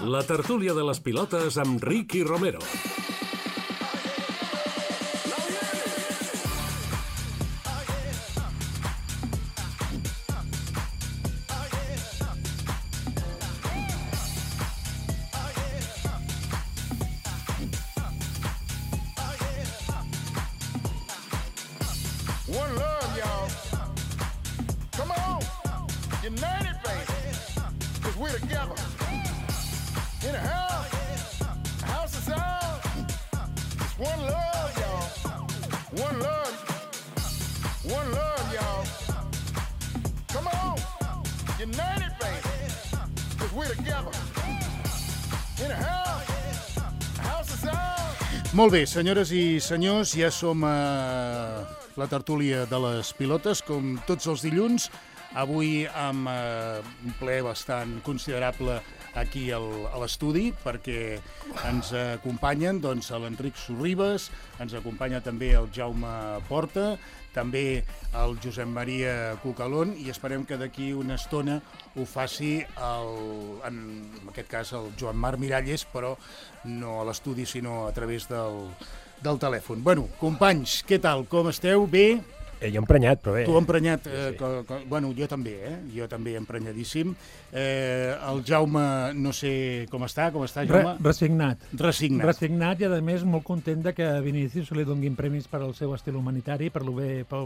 La tertúlia de les pilotes amb Ricky Romero. One love, y'all. Come on. United, baby. Because we're together. In a house. The house is ours. It's one love, y'all. One love. One love, y'all. Come on. United, baby. Because we're together. In a house. The house is ours. Molt bé, senyores i senyors, ja som a la tertúlia de les pilotes, com tots els dilluns, avui amb un ple bastant considerable aquí a l'estudi, perquè ens acompanyen l'Enric Sorribes, ens acompanya també el Jaume Porta, també el Josep Maria Cucalón, i esperem que d'aquí una estona ho faci, en aquest cas, el Joan Marc Miralles, però no a l'estudi, sinó a través del telèfon. Bueno, companys, què tal? Com esteu? Bé? Jo emprenyat, però bé. Tu emprenyat, Sí. Bueno, jo també, Jo també emprenyadíssim. El Jaume, no sé com està, Jaume? Resignat. Resignat. I, a més, molt content de que a Vinícius li donguin premis per al seu estil humanitari, per el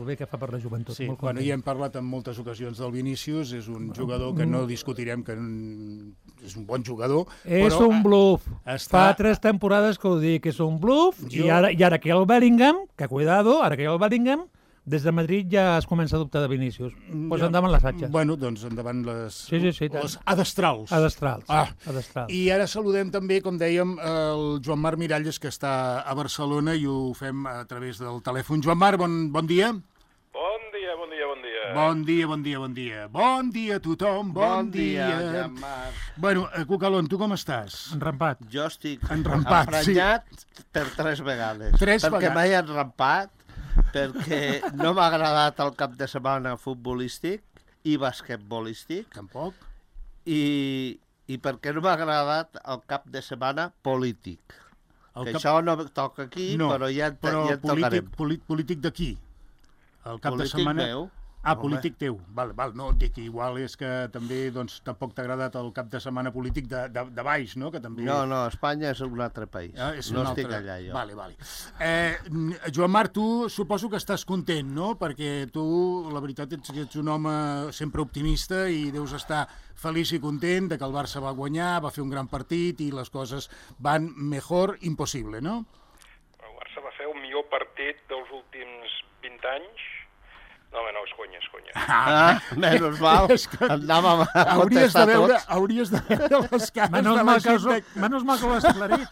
bé que fa per la joventut. Sí, molt bueno, content. ja hem parlat en moltes ocasions del Vinícius, és un jugador que no discutirem, que és un bon jugador. És però un bluff. està- Fa 3 temporades que ho dic, és un bluff, i ara que hi ha el Bellingham, que cuidado, ara que hi ha el Bellingham, des de Madrid ja es comença a dubtar de Vinícius. Pues endavant les atxes. Bueno, doncs endavant les, Sí, tant. les adestrals. Adestrals. Ah. I ara saludem també, com dèiem, el Joan Marc Miralles, que està a Barcelona, i ho fem a través del telèfon. Joan Marc, bon dia. Bon dia. Bon dia a tothom, bon dia. Joan Marc. Bueno, Cucalón, tu com estàs? Enrampat. Jo estic Enrampat, emprenyat per 3 vegades. Tres perquè vegades. m'he enrampat, perquè no m'ha agradat el cap de setmana futbolístic i basquetbolístic, Tampoc. i perquè no m'ha agradat el cap de setmana polític. Això no toca aquí, però ja en tocarem. Polític d'aquí? El cap de Polític setmana... meu. Ah, Home. polític teu. Val, no, dic, igual és que també tampoc t'ha agradat el cap de setmana polític de baix, no? Que també... No, Espanya és un altre país. No estic allà, jo. Vale. Joan Marc, tu suposo que estàs content, no? Perquè tu, la veritat, ets un home sempre optimista i deus estar feliç i content de que el Barça va guanyar, va fer un gran partit i les coses van mejor impossible, no? El Barça va fer el millor partit dels últims 20 anys. No, és conya. Menys mal. Anàvem a Hauries contestar de veure les cares Menos de la gent. Menos mal que ho has aclarit.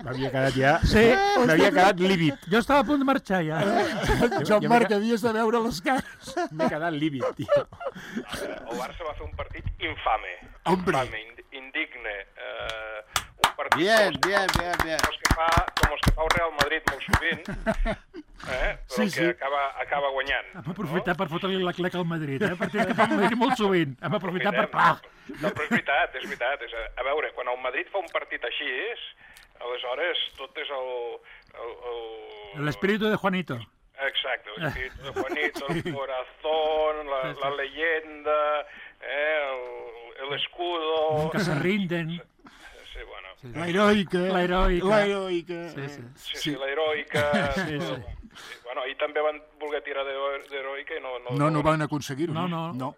M'havia quedat ja... Sí. M'havia quedat lívid. Jo estava a punt de marxar, ja. Joan Marc, havies de veure les cares. M'he quedat lívid, tio. El Barça va fer un partit infame. Hombre. Indigne. Un partit Bien. com els que fa el Real Madrid molt sovint, però Sí. que acaba guanyant. Hem aprofitat per fotre-li la cleca al Madrid, perquè que fa el Madrid molt sovint. Hem aprofitat per... No, però és veritat. A veure, quan el Madrid fa un partit així, aleshores tot és L'espíritu de Juanito. Exacte, l'espíritu de Juanito, el corazón, la leyenda, el escudo... Que se rinden. Sí, bueno. La heroica. Sí, la heroica. Sí. Bueno, i també van voler tirar d'heroica i No van aconseguir-ho. No.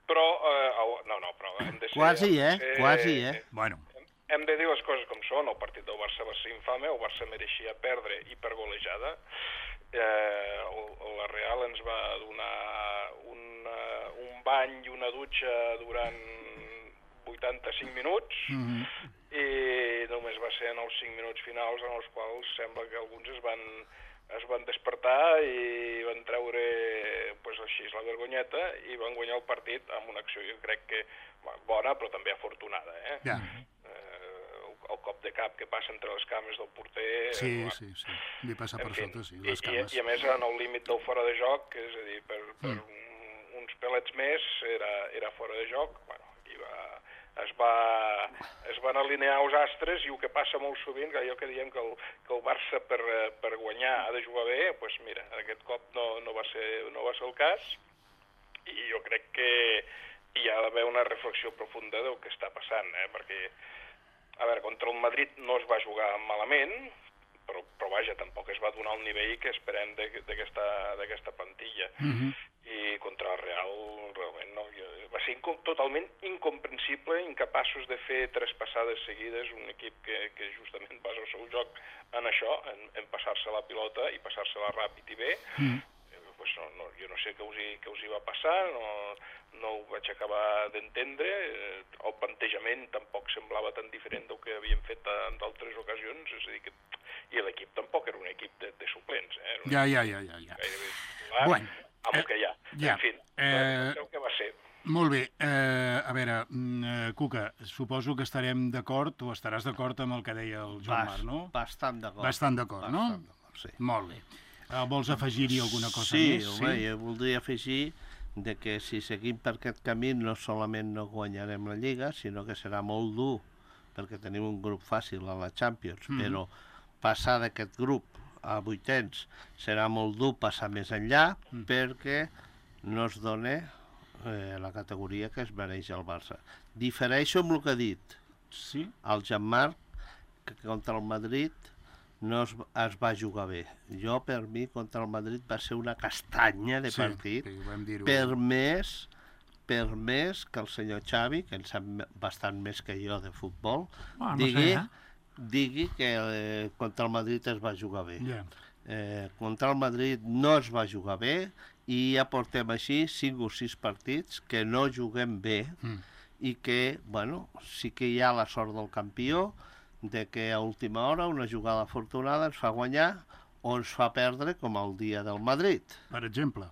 Però, però hem de ser... Quasi, eh? Bueno. Hem de dir les coses com són. El partit del Barça va ser infame, el Barça mereixia perdre i per golejada. La Real ens va donar un bany i una dutxa durant 85 minuts, i només va ser en els 5 minuts finals en els quals sembla que alguns es van despertar i van treure així la vergonyeta i van guanyar el partit amb una acció, jo crec que bona, però també afortunada. Ja. El cop de cap que passa entre les cames del porter... Sí. Li passa per sota, sí, les cames. I a més en el límit del fora de joc, és a dir, per uns pelets més era fora de joc. Bueno, aquí es van alinear els astres, i el que passa molt sovint, que allò que diem que el Barça per guanyar ha de jugar bé, doncs mira, aquest cop no va ser el cas, i jo crec que hi ha d'haver una reflexió profunda del que està passant, perquè, a veure, contra el Madrid no es va jugar malament, però vaja, tampoc es va donar el nivell que esperem d'aquesta plantilla. I contra el Real realment no. Va ser totalment incomprensible, incapaços de fer 3 passades seguides, un equip que justament basa el seu joc en això, en passar-se la pilota i passar-se-la ràpid i bé. Pues no, jo no sé què us hi va passar, no ho vaig acabar d'entendre, el plantejament tampoc semblava tan diferent del que havíem fet en d'altres ocasions, és a dir, i l'equip tampoc era un equip de suplents. Ja. Bueno, amb el que hi ha. En fi, el que va ser. Molt bé. A veure, Cuca, suposo que estarem d'acord, o estaràs d'acord amb el que deia el Joan Marc, no? Bastant d'acord. Bastant d'acord, no? Bastant d'acord, sí. Molt bé. Vols afegir-hi alguna cosa Sí, més? home, jo voldria afegir que si seguim per aquest camí no solament no guanyarem la Lliga, sinó que serà molt dur, perquè tenim un grup fàcil a la Champions, però passar d'aquest grup a 8ens serà molt dur passar més enllà, perquè no es dona la categoria que es mereix el Barça. Difereixo amb el que ha dit el Jean-Marc, que contra el Madrid no es va jugar bé. Jo, per mi, contra el Madrid va ser una castanya de partit, per més que el senyor Xavi, que en sap bastant més que jo de futbol, digui que contra el Madrid es va jugar bé. Contra el Madrid no es va jugar bé, i ja portem així 5 o 6 partits que no juguem bé, i que, bueno, sí que hi ha la sort del campió, de que a última hora una jugada afortunada ens fa guanyar o ens fa perdre, com el dia del Madrid. Per exemple.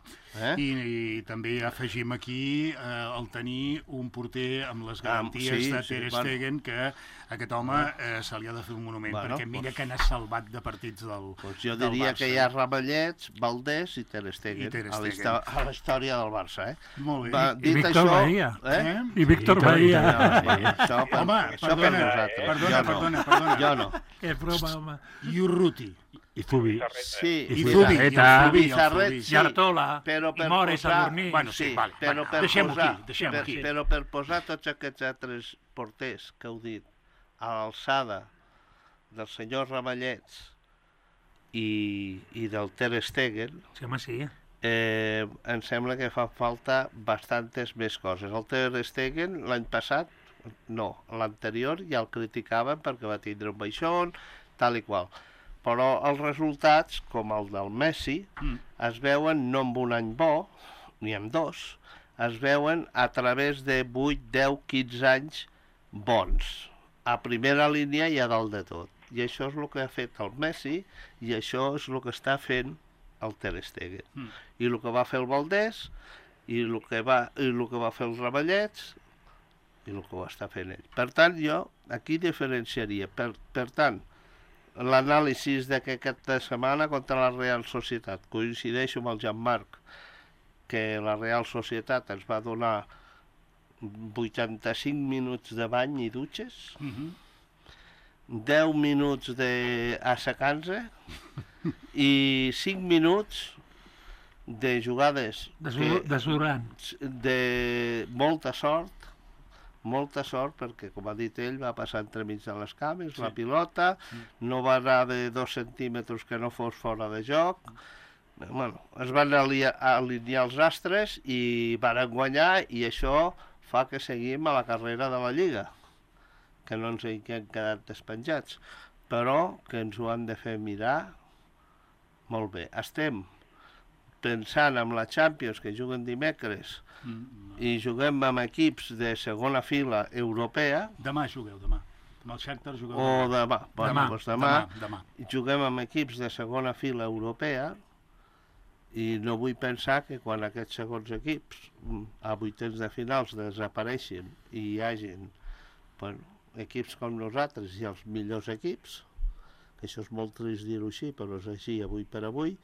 I també afegim aquí el tenir un porter amb les garanties de Ter Stegen, que aquest home se li ha de fer un monument, perquè mira que n'ha salvat de partits del Barça. Jo diria que hi ha Ramallets, Valdés i Ter Stegen a la història del Barça. Molt bé. I Víctor Bahia. I Víctor Bahia. Home, perdona. Jo no. Que broma, home. I Urruti. I Zubi. Sí, i Zubi. I Artola, i Mores, Sadurní. Bueno, sí, vale. Deixem-ho aquí. Però per posar tots aquests altres porters que heu dit a l'alçada del senyor Ramallets i del Ter Stegen, em sembla que fa falta bastantes més coses. El Ter Stegen l'any passat, no, l'anterior ja el criticaven perquè va tindre un baixón, tal i qual. Però els resultats, com el del Messi, es veuen no en un any bo, ni en 2, es veuen a través de 8, 10, 15 anys bons, a primera línia i a dalt de tot. I això és el que ha fet el Messi, i això és el que està fent el Ter Stegen. I el que va fer el Valdés, i el que va fer el Ramallets, i el que ho està fent ell. Per tant, jo aquí diferenciaria. Per tant, l'anàlisi de que aquesta setmana contra la Real Societat, coincideixo amb el Jean-Marc, que la Real Societat ens va donar 85 minuts de bany i dutxes, 10 minuts d'assecant-se i 5 minuts de jugades de molta sort, perquè, com ha dit ell, va passar entremig de les cames, la pilota, no va anar de 2 centímetres que no fos fora de joc. Bueno, es van alinear els astres i van guanyar, i això fa que seguim a la carrera de la Lliga, que no ens hem quedat despenjats, però que ens ho han de fer mirar molt bé. Estem pensant en la Champions, que juguen dimecres, i juguem amb equips de segona fila europea. Demà jugueu, demà. Amb el Shakhtar jugueu demà. Demà. Juguem amb equips de segona fila europea, i no vull pensar que quan aquests segons equips a 8ens de finals desapareixin i hi hagin equips com nosaltres i els millors equips, que això és molt trist dir-ho així, però és així avui per avui,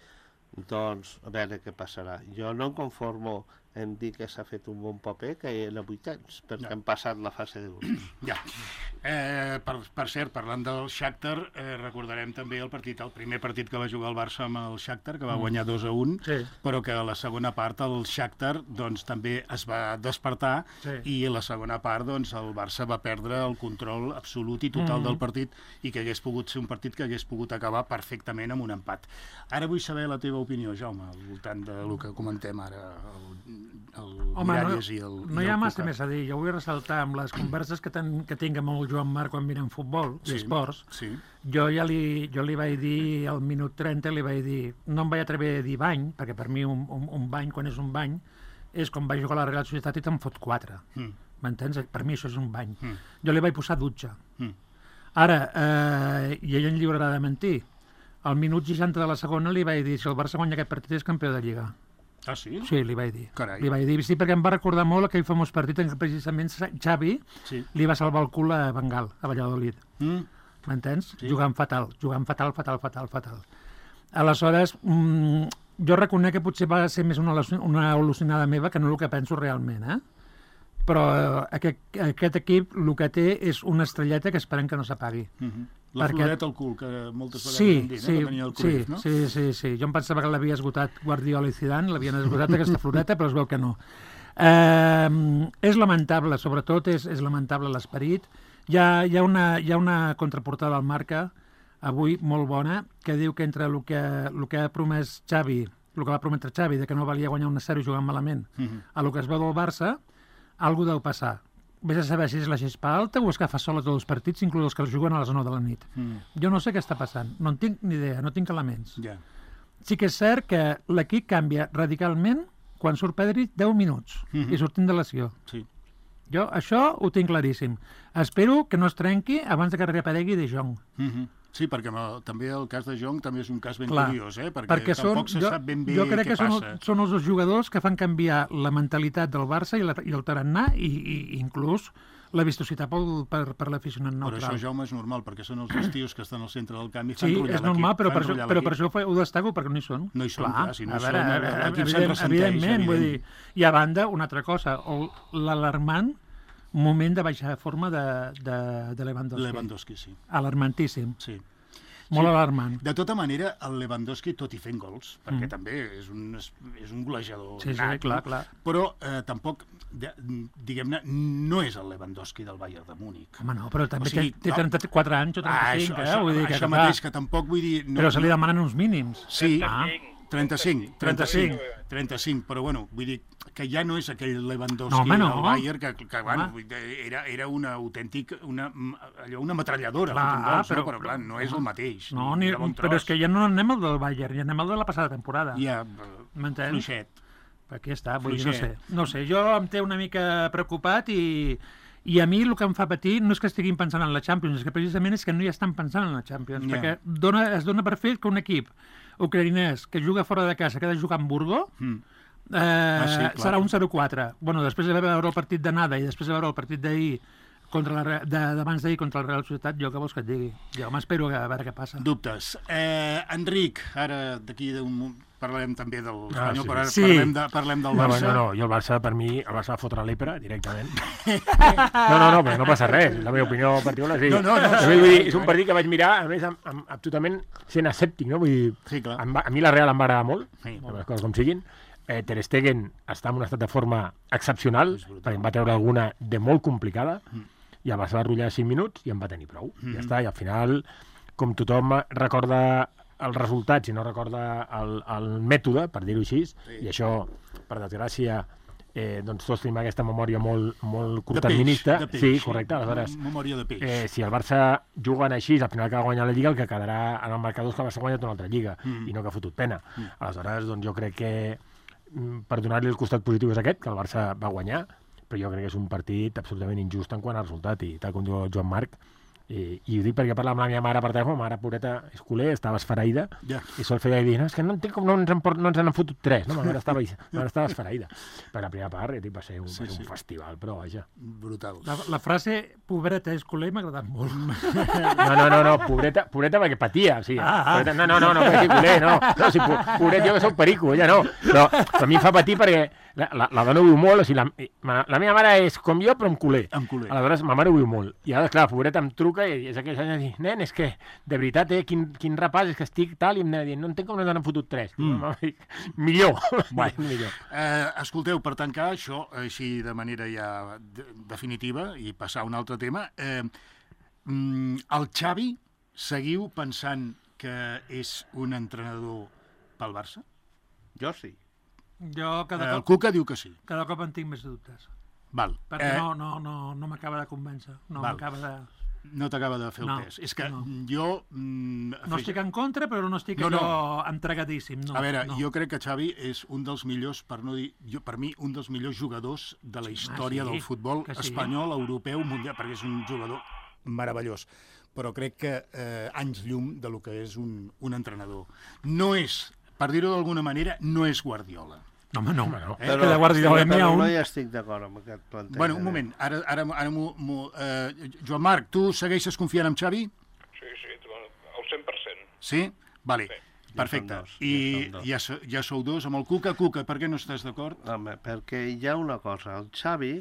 doncs a veure què passarà. Jo no em conformo hem dit que s'ha fet un bon paper que en a 8 anys, perquè hem passat la fase de grups. Ja. Per cert, parlant del Shakhtar, recordarem també el primer partit que va jugar el Barça amb el Shakhtar, que va guanyar 2-1, però que a la segona part el Shakhtar doncs, també es va despertar i a la segona part doncs, el Barça va perdre el control absolut i total del partit i que hagués pogut ser un partit que hagués pogut acabar perfectament amb un empat. Ara vull saber la teva opinió, Jaume, al voltant del que comentem ara, el Miralles i el no hi ha massa més a dir. Jo vull ressaltar amb les converses que tinc amb el Joan Marc quan mirem futbol i esports. Jo li vaig dir al minut 30, li vaig dir, no em vaig atrever a dir bany, perquè per mi un bany, quan és un bany, és com vaig jugar a la Real Societat i te'n fot 4. M'entens? Per mi això és un bany. Jo li vaig posar dutxa. Ara, i ell en lliurarà de mentir, al minut 60 de la segona li vaig dir, si el Barça guanya aquest partit és campió de Lliga. Ah, sí? Sí, li vaig dir. Carai. Li vaig dir, sí, perquè em va recordar molt aquell famós partit en què precisament Xavi li va salvar el cul a Bengal, a Valladolid. M'entens? Jugant fatal. Aleshores, jo reconec que potser va ser més una al·lucinada meva que no el que penso realment, però aquest equip el que té és una estrelleta que esperem que no s'apagui. La floreta al cul, que moltes vegades hem dit, que tenia el Cruyff, no? Sí. Jo em pensava que l'havia esgotat Guardiola i Zidane, l'havien esgotat aquesta floreta, però es veu que no. És lamentable, sobretot és lamentable l'esperit. Hi ha una contraportada al Marca, avui molt bona, que diu que entre el que ha promès Xavi, el que va prometre Xavi, de que no valia guanyar 1-0 jugant malament, a el que es veu del Barça, alguna deu passar. Vés a saber si és la gespa alta o és que fa sola tots els partits, inclús els que els juguen a les 9 de la nit. Jo no sé què està passant, no en tinc ni idea, no tinc elements. Sí que és cert que l'equip canvia radicalment quan surt Pedri 10 minuts i sortint de lesió. Jo això ho tinc claríssim. Espero que no es trenqui abans que reaparegui De Jong. Sí, perquè també el cas de Jong també és un cas ben curiós, perquè tampoc se sap ben bé què passa. Jo crec que són els dos jugadors que fan canviar la mentalitat del Barça i el tarannà i inclús la vistositat per l'aficionat neutral. Però això, Jaume, és normal, perquè són els dos tios que estan al centre del camp i fan sí, enrotllar l'equip. Sí, és normal, però per això ho destaco, perquè no hi són. No hi són, clar, si no hi són, l'equip se'n ressenteix. Evidentment, vull dir. I a banda, una altra cosa, l'alarmant moment de baixar de forma de Lewandowski. Lewandowski, sí. Alarmantíssim. Sí. Molt alarmant. De tota manera, el Lewandowski, tot i fent gols, perquè també és un golejador nat, clar. Però tampoc, diguem-ne, no és el Lewandowski del Bayern de Múnich. Home, no, però també té 34 anys o 35, vull dir que... Això mateix, que tampoc vull dir... Però se li demanen uns mínims. Sí, 35, però bueno, vull dir que ja no és aquell Lewandowski del Bayern que bueno, era una autèntic, una ametralladora, però clar, no és el mateix. No, però és que ja no anem al del Bayern, ja anem al de la passada temporada. Ja, fluixet. Aquí està, vull dir, no sé, jo em té una mica preocupat i a mi el que em fa patir no és que estiguin pensant en la Champions, és que precisament és que no hi estan pensant en la Champions, perquè es dona per fet que un equip ucraïnès que juga fora de casa, que ha de jugar a Hamburgo, serà un 0-4. Bueno, després de veure el partit d'anada i després de veure el partit d'ahir d'abans d'ahir contra el Real Societat, jo què vols que et digui? Jo m'espero a veure què passa. Dubtes. Enric, ara d'aquí d'un... Parlem també del Espanyol, però ara parlem del Barça. No, jo el Barça, per mi, el Barça va fotre l'Epra directament. No, però no passa res. La meva opinió particular és dir. Vull dir, és un partit que vaig mirar, a més, absolutament sent escèptic, no? Vull dir, a mi la Real em va agradar molt, les coses com siguin. Ter Stegen està en un estat de forma excepcional, perquè em va treure alguna de molt complicada, i el Barça va rotllar 5 minuts i em va tenir prou. Ja està, i al final, com tothom recorda els resultats i no recorda el mètode, per dir-ho així, i això, per desgràcia, doncs tots tenim aquesta memòria molt curtterminista. Sí, correcte. Aleshores, memòria de peix. Si el Barça juguen així, al final acaba guanyant la Lliga, el que quedarà en el marcador és que el Barça ha guanyat una altra Lliga, i no que ha fotut pena. Aleshores, doncs jo crec que, per donar-li el costat positiu és aquest, que el Barça va guanyar, però jo crec que és un partit absolutament injust en quant a resultat, i tal com diu el Joan Marc, I ho dic perquè parla amb la meva mare per telèfon, la mare pureta és culer, estava esfereïda, i sol feia dir, no, és que no entenc com no ens han fotut 3, no? Ma mare estava esfereïda. Per la primera part, va ser un festival, però vaja. Brutal. La frase pobreta és culer m'ha agradat molt. No, pobreta perquè patia, o sigui, no, perquè és culer, no, si pobret jo que soc perico, ella no, però a mi em fa patir perquè la dona ho viu molt, o sigui, la meva mare és com jo, però amb culer. Aleshores, ma mare ho viu molt. I ara, clar, la pobreta em truca i és aquells anys de dir, nen, és que, de veritat, quin repàs, és que estic tal, i em anava dient, no entenc com no n'han fotut 3. Millor. Escolteu, per tancar això, així de manera ja definitiva, i passar a un altre tema, el Xavi, seguiu pensant que és un entrenador pel Barça? Jo sí. El Cuca diu que sí. Cada cop en tinc més dubtes. Val. Perquè no m'acaba de convèncer. No t'acaba de fer el pes. És que jo... No estic en contra, però no estic entregadíssim. A veure, jo crec que Xavi és un dels millors, per no dir... Per mi, un dels millors jugadors de la història del futbol espanyol, europeu, mundial, perquè és un jugador meravellós. Però crec que anys llum de lo que és un entrenador. No és, per dir-ho d'alguna manera, no és Guardiola. No. Però no hi estic d'acord amb aquest plantejament. Bueno, un moment. Ara Joan Marc, tu segueixes confiant en Xavi? Sí, al 100%. Sí? Vale. Perfecte. I ja sou dos amb el Cuca. Cuca, per què no estàs d'acord? Home, perquè hi ha una cosa. El Xavi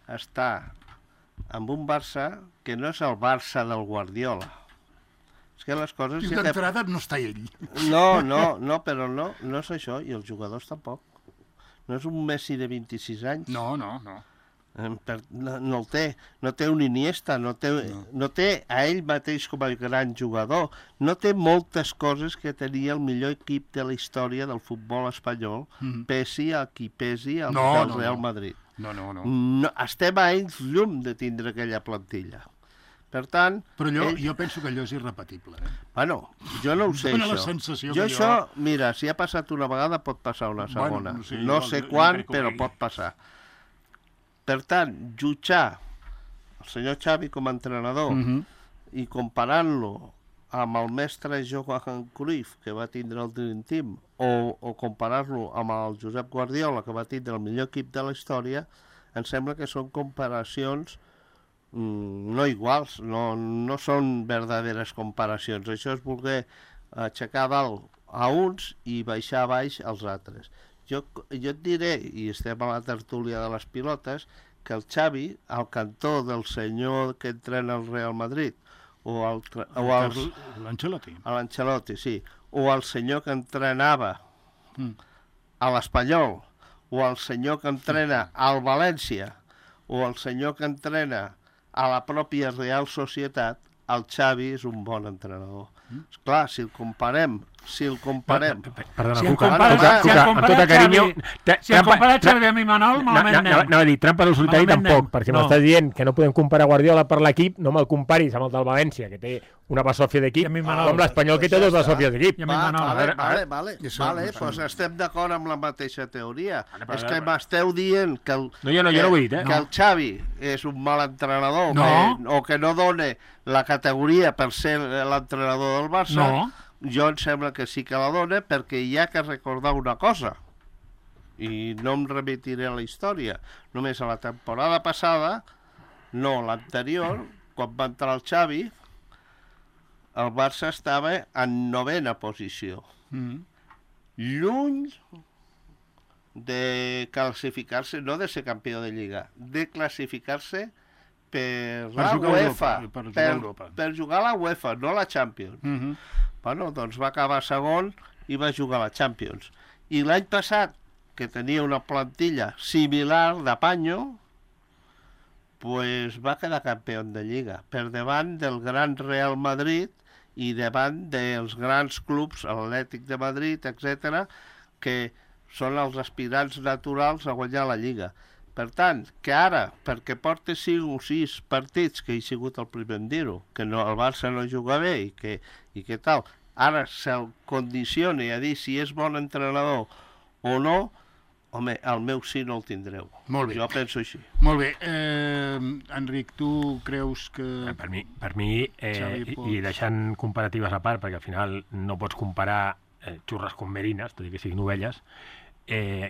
està amb un Barça que no és el Barça del Guardiola. És que les coses... I d'entrada no està ell. No, però no és això, i els jugadors tampoc. No és un Messi de 26 anys. No. No el té. No té un Iniesta, no té a ell mateix com a gran jugador. No té moltes coses que tenia el millor equip de la història del futbol espanyol, pesi a qui pesi al Real Madrid. No. Estem a anys llum de tindre aquella plantilla. Per tant... Però jo penso que allò és irrepetible. Bueno, jo no ho sé, això. això. La sensació jo això, mira, si ha passat una vegada, pot passar una segona. No sé quan, però pot passar. Per tant, jutjar el senyor Xavi com a entrenador i comparant-lo amb el mestre Johan Cruyff, que va tindre el Dream Team, o comparar-lo amb el Josep Guardiola, que va tindre el millor equip de la història, em sembla que són comparacions no iguals, no són verdaderes comparacions. Això és voler aixecar dalt a uns i baixar a baix als altres. Jo et diré, i estem a la tertúlia de les pilotes, que el Xavi, al cantó del senyor que entrena el Real Madrid, l'Ancelotti, sí, o el senyor que entrenava a l'Espanyol, o el senyor que entrena al València, o el senyor que entrena a la pròpia Real Societat, el Xavi és un bon entrenador. Esclar, si el comparem... Perdona, Cuca, amb tot el carinyo... Si el compara Xavi amb Imanol, malament anem. Anava a dir, trampa del solitari tampoc, perquè m'estàs dient que no podem comparar Guardiola per l'equip, no me'l comparis amb el del València, que té una basòfia d'equip, com l'Espanyol, que té dos basòfies d'equip. Vale, doncs estem d'acord amb la mateixa teoria. És que m'esteu dient que el Xavi és un mal entrenador, o que no dona la categoria per ser l'entrenador del Barça. Jo em sembla que sí que la dona, perquè hi ha que recordar una cosa, i no em remitiré a la història. Només a la temporada passada, no, l'anterior, quan va entrar el Xavi, el Barça estava en 9ª posició. Lluny de classificar-se, no de ser campió de Lliga, de classificar-se per la UEFA, per jugar a la UEFA, no a la Champions. Bueno, doncs va acabar segon i va jugar a la Champions. I l'any passat, que tenia una plantilla similar de panyo, pues va quedar campió de Lliga, per davant del gran Real Madrid i davant dels grans clubs, l'Atlètic de Madrid, etc., que són els aspirants naturals a guanyar la Lliga. Per tant, que ara, perquè porta 5 o 6 partits, que he sigut el primer en dir-ho, que el Barça no juga bé i que tal, ara se'l condicioni a dir si és bon entrenador o no, Home, el meu sí no el tindreu. Molt bé. Jo penso així. Molt bé. Enric, tu creus que... Per mi i deixant comparatives a part, perquè al final no pots comparar xurres com merines, tot i que siguin ovelles,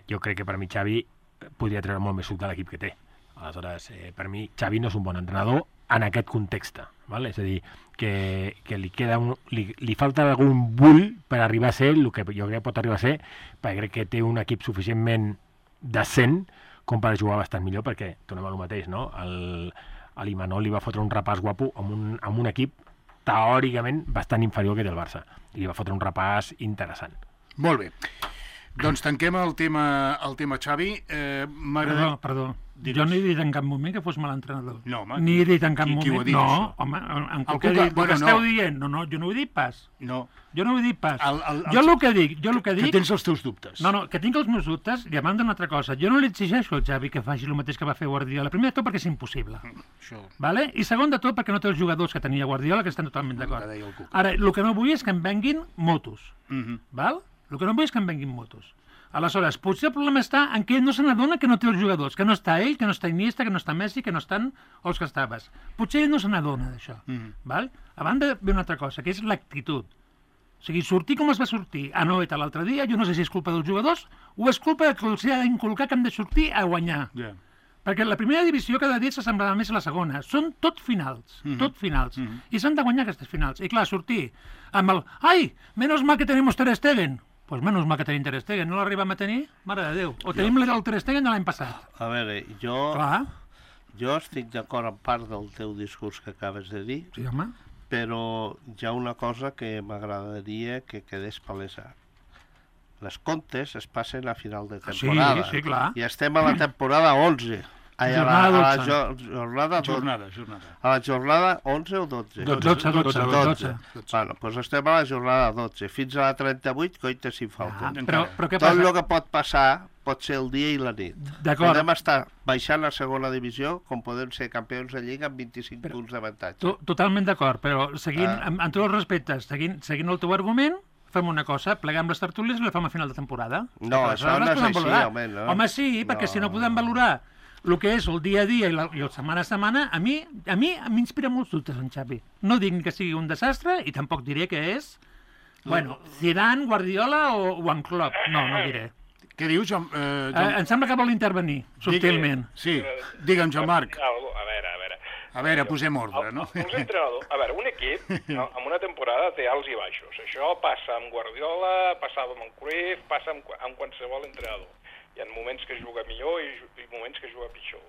jo crec que per mi Xavi podria treure molt més suc de l'equip que té. Aleshores, per mi Xavi no és un bon entrenador en aquest context, val? És a dir, que li falta algun bull per arribar a ser el que jo crec que pot arribar a ser, perquè crec que té un equip suficientment decent com per jugar bastant millor, perquè tornem a lo mateix, no? L'Imanol li va fotre un repàs guapo amb un equip teòricament bastant inferior que té el Barça, i li va fotre un repàs interessant. Molt bé. Doncs tanquem el tema Xavi. Perdó. Jo no he dit en cap moment que fos mal entrenador. No, home. Ni he dit en cap moment. Qui ho ha dit, no, això? Home, en el que esteu dient. No, jo no ho he dit pas. No. Jo no ho he dit pas. Jo el que dic... Que tens els teus dubtes. No, que tinc els meus dubtes i a banda una altra cosa. Jo no li exigeixo al Xavi que faci el mateix que va fer Guardiola. Primer de tot perquè és impossible. Vale? I segon de tot perquè no té els jugadors que tenia Guardiola, que estan totalment d'acord. Ara, el que no vull és que em venguin motos. Val? El que no vull és que em venguin motos. Aleshores, potser el problema està en que ell no se n'adona que no té els jugadors, que no està ell, que no està Iniesta, que no està Messi, que no estan els que estaves. Potser ell no se n'adona d'això. Val? A banda ve una altra cosa, que és l'actitud. O sigui, sortir com es va sortir a Noeta l'altre dia, jo no sé si és culpa dels jugadors o és culpa que els ha d'inculcar que han de sortir a guanyar. Perquè la primera divisió cada dia s'assemblava més a la segona. Són tot finals, I s'han de guanyar aquestes finals. I clar, sortir amb el... Ai, menos mal que tenemos Ter Stegen. Pues menos mal que tenim Ter Stegen, no l'arribem a tenir? Mare de Déu. O tenim el Ter Stegen de l'any passat. A veure, jo estic d'acord en part del teu discurs que acabes de dir, sí, home, però hi ha una cosa que m'agradaria que quedés palesa. Les comptes es passen a final de temporada. Sí, clar. I estem a la temporada 11. A la jornada 12. A la jornada 11 o 12? 12. Bueno, doncs estem a la jornada 12. Fins a la 38, coita si falta. Però què passa? Tot el que pot passar pot ser el dia i la nit. Podem estar baixant a segona divisió com podem ser campions de Lliga amb 25 punts d'avantatge. Totalment d'acord, però seguint, amb tots els respectes, seguint el teu argument, fem una cosa, pleguem les tertúlies i la fem a final de temporada. No, això no és així, home. Home, sí, perquè si no podem valorar el que és el dia a dia i el setmana a setmana, a mi m'inspira molts dubtes en Xavi. No dic que sigui un desastre i tampoc diré que és, Zidane, Guardiola o en Klopp. No diré. Què dius, Joan? Em sembla que vol intervenir, subtilment. Sí, digue'm, Joan-Marc. A veure, posem ordre, no? A veure, un equip en una temporada té alts i baixos. Això passa amb Guardiola, passava amb Cruyff, passa amb qualsevol entrenador. Hi ha moments que juga millor i moments que juga pitjor.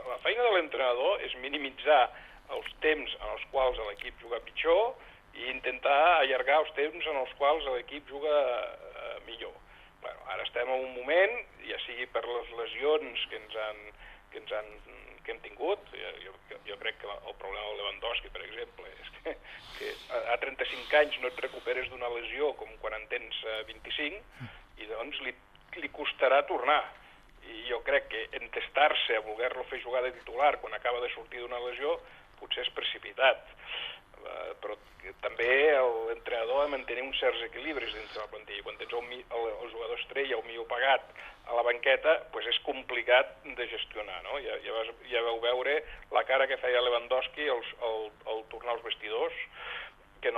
La feina de l'entrenador és minimitzar els temps en els quals l'equip juga pitjor i intentar allargar els temps en els quals l'equip juga millor. Bueno, ara estem en un moment, ja sigui per les lesions que hem tingut, jo crec que el problema del Lewandowski, per exemple, és que a 35 anys no et recuperes d'una lesió com quan en tens 25 i doncs li costarà tornar. I jo crec que entestar-se a voler-lo fer jugar de titular quan acaba de sortir d'una lesió potser és precipitat. Però també l'entrenador ha de mantenir uns certs equilibris dins de la plantilla. Quan tens el jugador estrella o millor pagat a la banqueta, doncs és complicat de gestionar, no? Ja vau veure la cara que feia Lewandowski al tornar als vestidors, que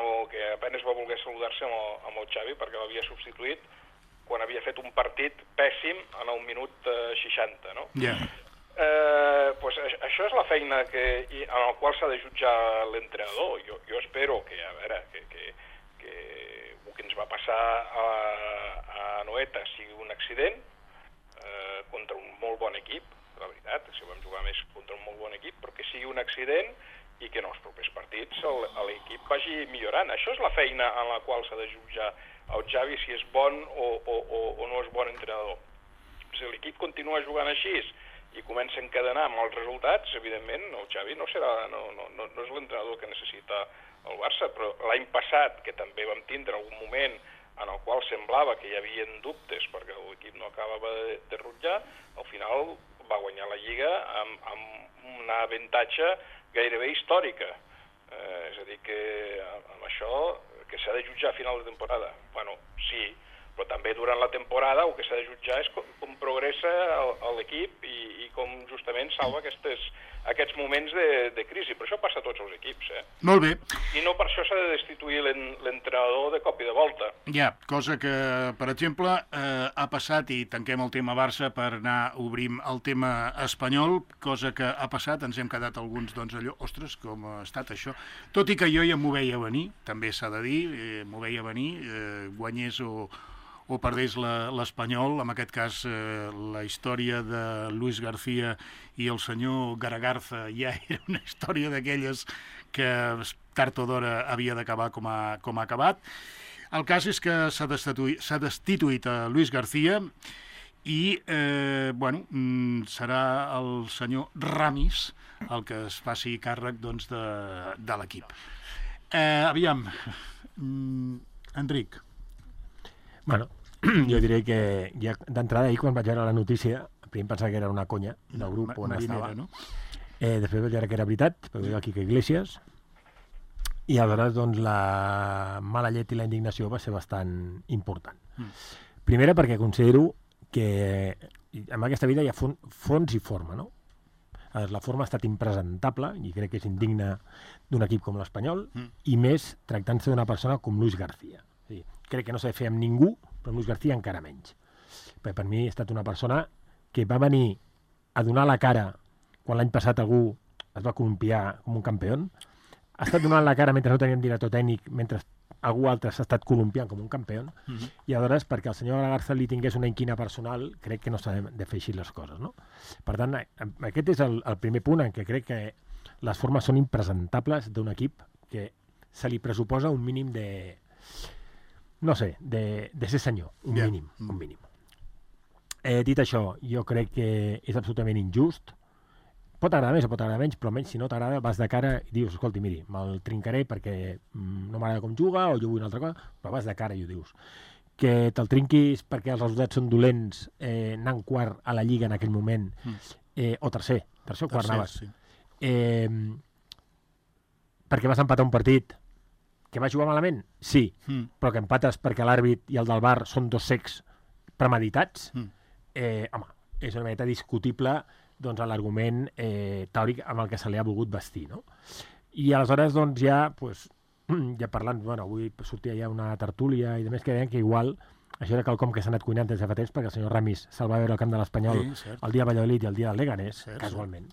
apenas va voler saludar-se amb el Xavi perquè l'havia substituït quan havia fet un partit pèssim en el minut 60, no? Pues això és la feina en la qual s'ha de jutjar l'entrenador. Jo espero que, a veure, que el que ens va passar a Noeta sigui un accident contra un molt bon equip, la veritat, si vam jugar més contra un molt bon equip, però que sigui un accident i que en els propers partits l'equip vagi millorant. Això és la feina en la qual s'ha de jutjar el Xavi si és bon o no és bon entrenador. Si l'equip continua jugant així i comença a encadenar amb els resultats, evidentment el Xavi no és l'entrenador que necessita el Barça, però l'any passat, que també vam tindre algun moment en el qual semblava que hi havia dubtes perquè l'equip no acabava de rutllar, al final va guanyar la Lliga amb un avantatge gairebé històrica. És a dir, que amb això que s'ha de jutjar a final de temporada. Bueno, sí, però també durant la temporada el que s'ha de jutjar és com progressa l'equip i com justament salva aquests moments de crisi. Però això passa a tots els equips. Molt bé. I no per això s'ha de destituir l'entrenador de cop i de volta. Ja, cosa que, per exemple, ha passat, i tanquem el tema Barça per anar obrim el tema espanyol, cosa que ha passat, ens hem quedat alguns, doncs, allò, ostres, com ha estat això. Tot i que jo ja m'ho veia venir, també s'ha de dir, m'ho veia venir, guanyés o perdés l'Espanyol, en aquest cas la història de Luis García i el senyor Garagarza ja era una història d'aquelles que tard o d'hora havia d'acabar com ha acabat. El cas és que s'ha destituït a Luis García i serà el senyor Ramis el que es faci càrrec doncs, de l'equip. Aviam, Enric. Bueno, jo diré que ja d'entrada ahir quan vaig veure la notícia primer pensava que era una conya del grup on estava, no? Després vaig veure que era veritat, perquè veia el Quique Iglesias, i aleshores doncs, la mala llet i la indignació va ser bastant important. Primera perquè considero que en aquesta vida hi ha fons i forma, no? La forma ha estat impresentable i crec que és indigna d'un equip com l'Espanyol i més tractant-se d'una persona com Luis García. Sí, crec que no s'ha de fer amb ningú, però amb Luis García encara menys. Perquè per mi ha estat una persona que va venir a donar la cara quan l'any passat algú es va columpiar com un campió, ha estat donant la cara mentre no teníem director tècnic, mentre algú altre s'ha estat columpiant com un campió, i aleshores perquè el senyor Garza li tingués una inquina personal, crec que no s'ha de fer així les coses, no? Per tant, aquest és el primer punt en què crec que les formes són impresentables d'un equip que se li pressuposa un mínim de... no sé, de ser senyor, un mínim. Dit això, jo crec que és absolutament injust. Pot agradar més o pot agradar menys, però almenys si no t'agrada vas de cara i dius, escolti, miri, me'l trincaré perquè no m'agrada com juga o jo vull una altra cosa, però vas de cara i ho dius. Que te'l trinquis perquè els resultats són dolents, anant quart a la Lliga en aquell moment, o tercer o quart anaves. Sí. Perquè vas empatar un partit que va jugar malament? Sí, però que empates perquè l'àrbit i el del VAR són dos cecs premeditats? Home, és una mica discutible doncs, l'argument teòric amb el que se li ha volgut vestir, no? I aleshores, doncs, ja parlant, avui sortia ja una tertúlia i demés que deien que igual això era quelcom que s'ha anat cuinant des de fa temps perquè el senyor Ramis se'l va veure al camp de l'Espanyol el dia de Valladolid i el dia del Leganés, casualment.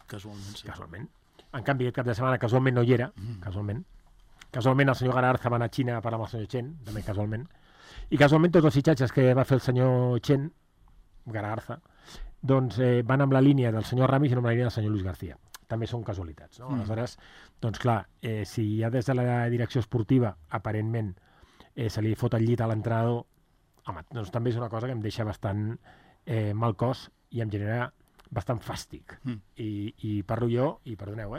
En canvi, aquest cap de setmana casualment no hi era, casualment el senyor Gararza va anar a Xina a parlar amb el senyor Chen, també casualment, i casualment tots els fitxatges que va fer el senyor Chen, Gararza, doncs van amb la línia del senyor Ramis i no amb la línia del senyor Luis García. També són casualitats, no? Aleshores, doncs clar, si ja des de la direcció esportiva, aparentment, se li fot el llit a l'entrenador, home, doncs també és una cosa que em deixa bastant mal cos i em genera bastant fàstic. I parlo jo, i perdoneu,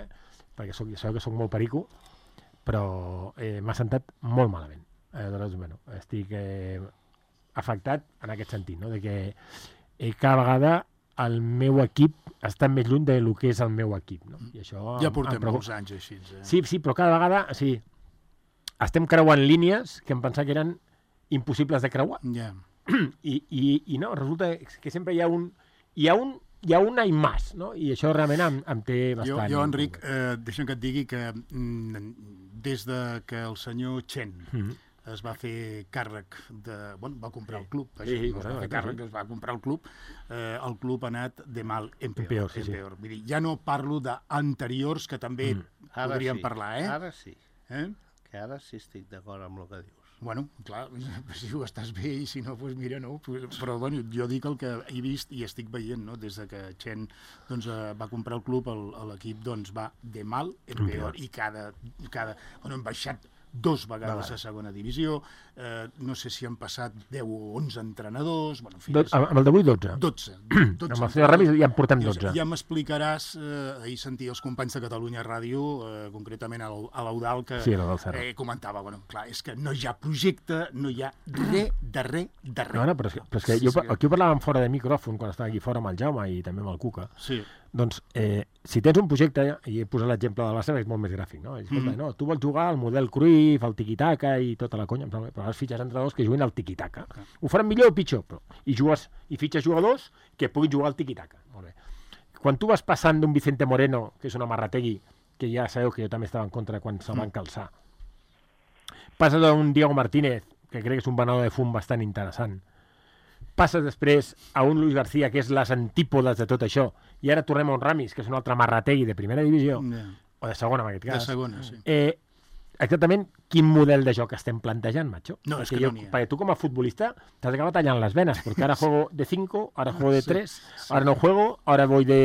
perquè sabeu que soc molt perico, però m'ha sentat molt malament. Aleshores, bueno, estic afectat en aquest sentit, no? De que cada vegada el meu equip està més lluny del que és el meu equip, no? I això ja portem molts anys així. Sí, però cada vegada estem creuant línies que em pensava que eren impossibles de creuar. I no, resulta que sempre hi ha una i més, no? I això realment em té bastant... Jo, Enric, deixa'm que et digui que des de que el senyor Chen es va fer càrrec va comprar el club, es va comprar el club ha anat de mal en peor. Ja no parlo d'anteriors que també podríem parlar, Ara sí. Que ara sí estic d'acord amb el que dius. Bueno, clar, si ho estàs bé i si no, doncs mira, no. Però bueno, jo dic el que he vist i estic veient, no? Des de que Chen va comprar el club, l'equip va de mal en peor i hem baixat 2 vegades a segona divisió, no sé si han passat 10 o 11 entrenadors... Amb el d'avui 12. 12. Amb el senyor Ramis ja en portem 12. Ja m'explicaràs, ahir sentia els companys de Catalunya Ràdio, concretament a l'Eudal, que comentava, clar, és que no hi ha projecte, no hi ha res de res. No, però és que aquí ho parlàvem fora de micròfon, quan estava aquí fora amb el Jaume i també amb el Cuca, Doncs, si tens un projecte, i he posat l'exemple del Barça, és molt més gràfic, no? Escolta, no, tu vols jugar al model Cruyff, al tiki-taka i tota la conya, però has fitxes entrenadors que juguen al tiki-taka. Ho faran millor o pitjor, però i fitxes jugadors que puguin jugar al tiki-taka. Molt bé. Quan tu vas passant d'un Vicente Moreno, que és un amarrategui, que ja sabeu que jo també estava en contra quan se'l van calçar, passes d'un Diego Martínez, que crec que és un venedor de fum bastant interessant, passes després a un Luis García, que és les antípodes de tot això, i ara tornem a un Ramis, que és un altre marrategui de primera divisió, o de segona, en aquest cas. De segona, sí. Exactament quin model de joc estem plantejant, macho? No, és que no n'hi ha. Perquè tu com a futbolista t'has d'acabar tallant les venes, perquè ara juego de 5, ara juego de 3, ara no juego, ara voy de...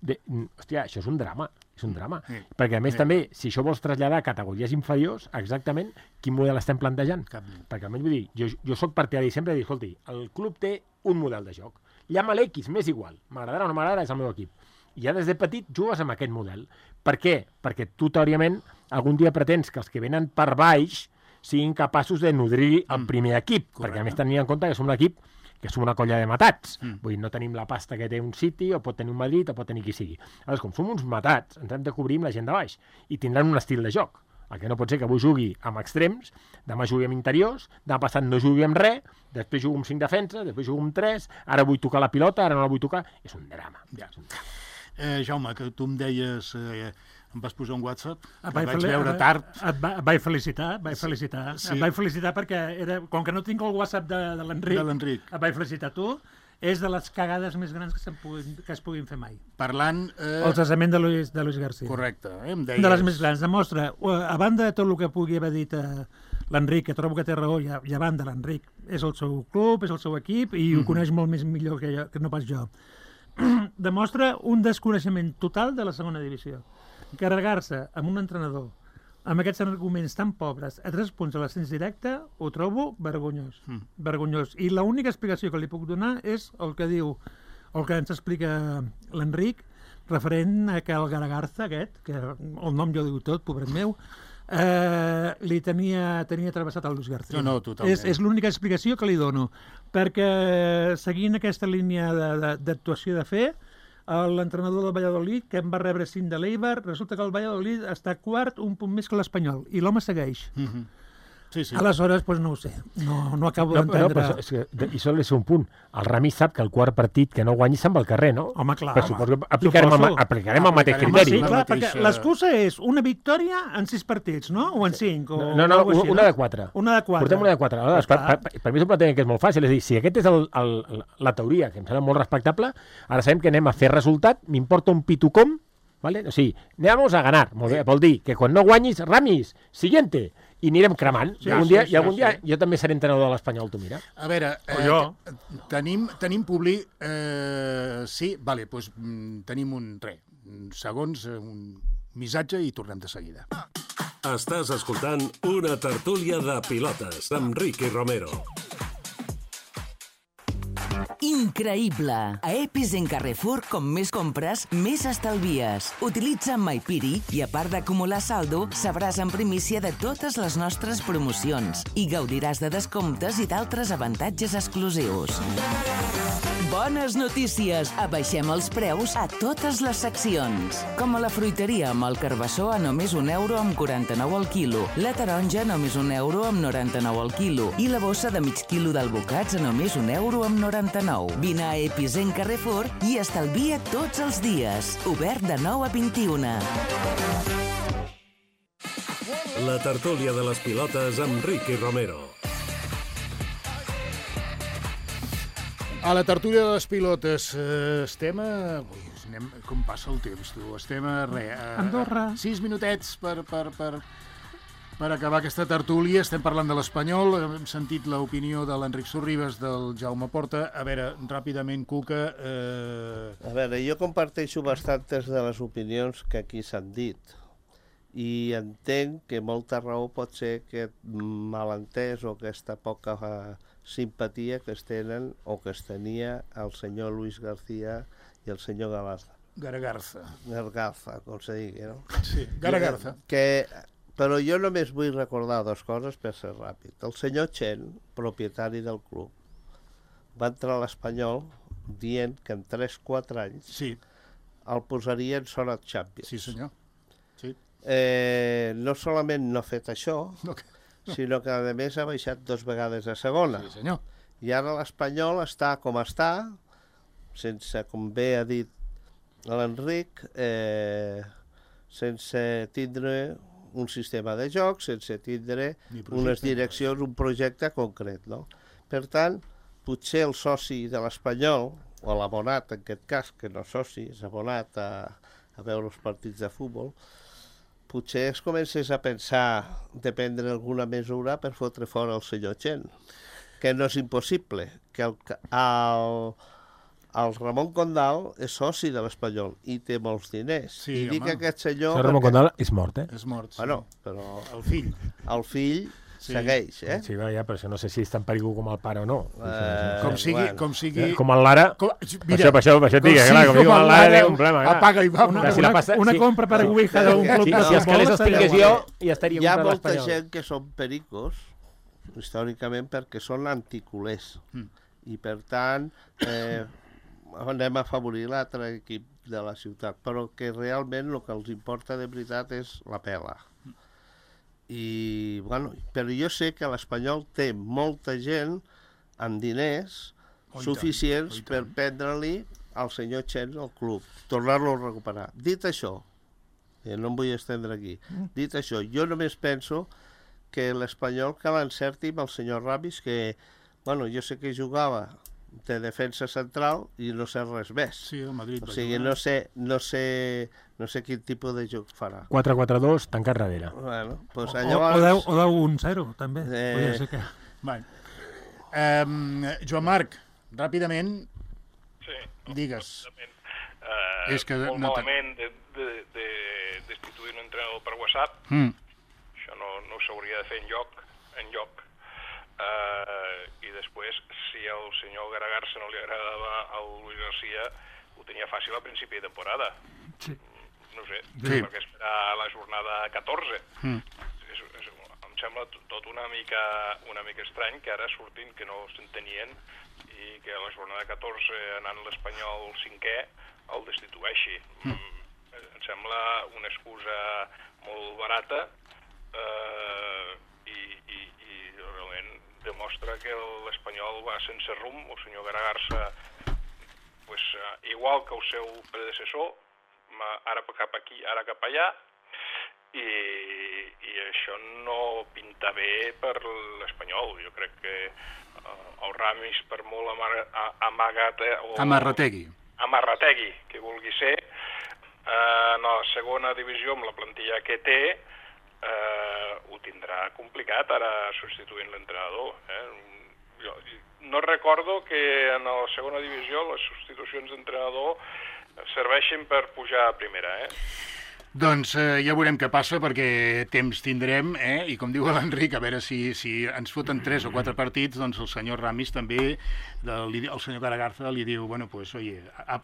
Hòstia, això és un drama. És un drama. Perquè, a més, també, si això vols traslladar a categories inferiors, exactament quin model estem plantejant. Perquè, almenys, vull dir, jo soc partidari sempre de dir, escolti, el club té un model de joc. Llama l'X, m'és igual. M'agradarà o no m'agradarà, és el meu equip. I ja des de petit jugues amb aquest model. Per què? Perquè tu, teòricament, algun dia pretens que els que venen per baix siguin capaços de nodrir el primer equip. Perquè, a més, tenint en compte que som un equip que som una colla de matats. Vull dir, no tenim la pasta que té un City, o pot tenir un Madrid, o pot tenir qui sigui. Aleshores, com som uns matats, ens hem de cobrir amb la gent de baix. I tindran un estil de joc. El que no pot ser que avui jugui amb extrems, demà jugui amb interiors, demà passat no jugui amb res, després jugo amb 5 defenses, després jugo amb 3, ara vull tocar la pilota, ara no la vull tocar. És un drama. Ja. Jaume, que tu em deies... em vas posar un WhatsApp, vaig veure tard. Et vaig felicitar. Sí. Et vaig felicitar perquè, com que no tinc el WhatsApp de l'Enric, et vaig felicitar tu. És de les cagades més grans que es puguin fer mai. Parlant... El cessament de Luis García. Correcte, em deies... De les més grans. Demostra, a banda de tot el que pugui haver dit l'Enric, que trobo que té raó, i a banda l'Enric, és el seu club, és el seu equip, i ho coneix molt més millor que no pas jo. Demostra un desconeixement total de la segona divisió. Carregar-se amb un entrenador amb aquests arguments tan pobres a 3 punts a l'ascens directe, ho trobo vergonyós. Vergonyós. I l'única explicació que li puc donar és el que diu, el que ens explica l'Enric, referent a que el Garagarza aquest, que el nom jo diu tot, pobret meu, li tenia travessat el Luis García. No, totalment. És l'única explicació que li dono, perquè seguint aquesta línia d'actuació de fer, l'entrenador del Valladolid, que em va rebre 5 de l'Eibar, resulta que el Valladolid està quart, un punt més que l'Espanyol, i l'home segueix. Sí. Aleshores, doncs no ho sé, no acabo d'entendre. I sol és un punt. El Ramis sap que el quart partit que no guanyi se'n va al carrer, no? Home, clar. Però suposo que aplicarem el mateix criteri. Sí, clar, perquè l'excusa és una victòria en 6 partits, no? O en 5? No, una de 4. Una de 4. Portem una de 4. Per mi és un plantejament que és molt fàcil. És a dir, si aquest és la teoria, que em sembla molt respectable, ara sabem que anem a fer resultat, m'importa un pito com, ¿vale? O sigui, anem a ganar. Vol dir que quan no guanyis, Ramis, siguiente. I anirem cremant. I algun dia jo també seré entrenador de l'Espanyol, tu mira. A veure, tenim publi... Sí, vale, doncs tenim segons, un missatge i tornem de seguida. Estàs escoltant una tertúlia de pilotes amb Ricky Romero. Increïble! A Epicent Carrefour, com més compres, més estalvies. Utilitza MyPiri i, a part d'acumular saldo, sabràs en primícia de totes les nostres promocions i gaudiràs de descomptes i d'altres avantatges exclusius. Bones notícies! Abaixem els preus a totes les seccions. Com a la fruiteria, amb el carbassó a només €1,49 al quilo, la taronja a només €1,99 al quilo i la bossa de mig quilo d'albocats a només €1,99. Vine a Epicent Carrefour i estalvia tots els dies. Obert de 9 a 21. La tertúlia de les pilotes amb Ricky Romero. A la tertúlia de les pilotes estem a... Com passa el temps, tu? Estem a Andorra. 6 minutets per acabar aquesta tertúlia. Estem parlant de l'Espanyol. Hem sentit l'opinió de l'Enric Sorribes, del Jaume Porta. A veure, ràpidament, Cuca... A veure, jo comparteixo bastantes de les opinions que aquí s'han dit. I entenc que molta raó pot ser aquest malentès o aquesta poca simpatia que es tenen o que es tenia el senyor Luis García i el senyor Garagarza, com se digui, no? Sí, Garagarza. Però jo només vull recordar 2 coses per ser ràpid. El senyor Chen, propietari del club, va entrar a l'Espanyol dient que en 3-4 anys el posaria en zona Champions. Sí, senyor. Sí. No solament no ha fet això, sinó que a més ha baixat 2 vegades a segona. Sí, senyor. I ara l'Espanyol està com està, sense, com bé ha dit l'Enric, sense tindre un sistema de joc, sense tindre unes direccions, un projecte concret, no? Per tant, potser el soci de l'Espanyol, o l'abonat en aquest cas, que no és soci, és abonat a veure els partits de futbol, potser es comencés a pensar de prendre alguna mesura per fotre fora el senyor Chen, que no és impossible, que el Ramon Condal és soci de l'Espanyol i té molts diners. Sí, I dic aquest senyor... El Ramon Condal és mort, És mort, sí. Bueno, però... El fill. El fill segueix, eh? Sí, ja, però això no sé si és tan perill com el pare o no. Com sigui... Com el Lara... Mira, per això et dic, clar, com diu el Lara té un problema. Apaga i va. Una compra per Ouija d'un club de futbol. Si els calés els tingués jo, ja estaria hi ha comprat molta l'Espanyol. gent que són pericos, històricament, perquè són anticulers. I, per tant, anem a afavorir l'altre equip de la ciutat. Però que realment el que els importa de veritat és la pela. I, bueno, però jo sé que l'Espanyol té molta gent amb diners suficients per prendre-li al senyor Chen al club, tornar-lo a recuperar. Dit això, no em vull estendre aquí, dit això, jo només penso que l'Espanyol que l'encerti amb el senyor Ramis, que, bueno, jo sé que jugava de defensa central i no sé res més. Sí, el Madrid. O sigui, no sé quin tipus de joc farà. 4-4-2, tancat darrere. Bueno, pues llavors... O 10-1-0, també. Podria ser que... Bueno. Joan Marc, ràpidament, digues. És que molt malament de destituir un entrenador per WhatsApp. Això no s'hauria de fer enlloc. I després, si al senyor Garagarsa no li agradava al Luis García, ho tenia fàcil a principi de temporada. Sí. No sé, perquè esperar la jornada 14. Em sembla tot una mica estrany que ara surtin que no s'entenien i que a la jornada 14, anant l'Espanyol 5è, el destitueixi. Em sembla una excusa molt barata i realment demostra que l'Espanyol va sense rumb. El senyor Garagarsa, igual que el seu predecessor, ara cap aquí, ara cap allà, i això no pinta bé per l'Espanyol. Jo crec que el Ramis, per molt amarrategui que vulgui ser, en la segona divisió, amb la plantilla que té, ho tindrà complicat ara substituint l'entrenador. Jo no recordo que en la segona divisió les substitucions d'entrenador serveixin per pujar a primera. Doncs ja veurem què passa, perquè temps tindrem, i com diu l'Enric, a veure si ens foten 3 o 4 partits, doncs el senyor Ramis també, el senyor Garagarza li diu, bueno, pues, oye, a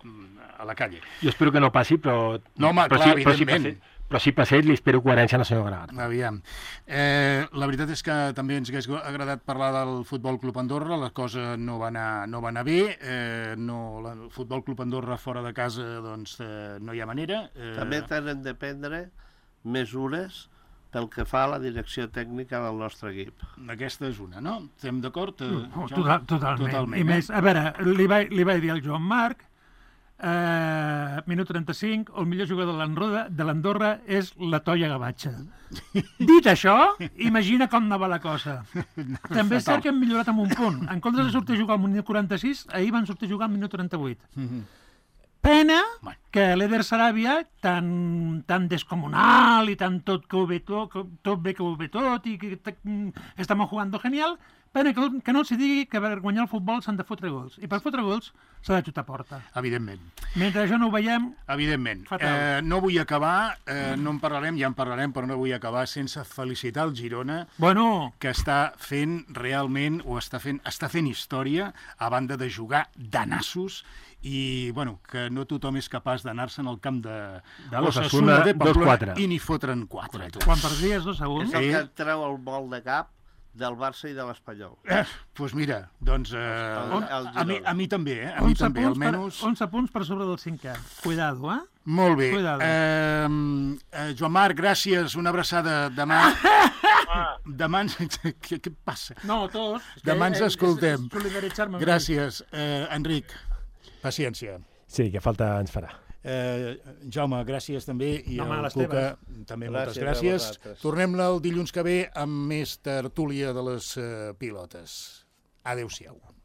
la calle. Jo espero que no passi, però... No, home, clar, evidentment. Però si passés, li espero coherència al senyor Garagarza. Aviam. La veritat és que també ens hauria agradat parlar del Futbol Club Andorra, la cosa no va anar bé, el Futbol Club Andorra fora de casa, doncs no hi ha manera. També tenen de prendre mesures pel que fa a la direcció tècnica del nostre equip. Aquesta és una, no? Estem d'acord? Totalment. I més, a veure, li vaig dir al Joan Marc, minut 35, el millor jugador de l'Andorra és la Toia Gavatxa. Dit això, imagina com anava la cosa. També és cert que hem millorat amb un punt. En comptes de sortir a jugar al minut 46, ahir van sortir a jugar al minut 38. Pena que l'Eder Saràbia, tan descomunal i tan tot bé que ho ve tot i que estem jugando genial, pena que no els digui que per guanyar el futbol s'han de fotre gols. I per fotre gols s'ha de xutar a porta. Evidentment. Mentre això no ho veiem... Evidentment. No vull acabar, no en parlarem, ja en parlarem, però no vull acabar sense felicitar el Girona, que està fent realment, o està fent història, a banda de jugar de nassos, i bueno, que no tothom és capaç d'anar-se'n al camp de l'Osasuna de Pamplona i n'hi fotren 4. Quan perdies 2-1. És el que et treu el vol de cap del Barça i de l'Espanyol. Doncs mira, doncs a mi també, a mi també, almenys... 11 punts per sobre del 5è. Cuidado, Molt bé. Joan Marc, gràcies, una abraçada. Demà... Demà ens... Què passa? No, tots. Demà ens escoltem. Gràcies. Enric, paciència. Sí, que falta ens farà. Jaume, gràcies també, i el Cuca també, moltes gràcies. Tornem el dilluns que ve amb més tertúlia de les pilotes. Adéu-siau.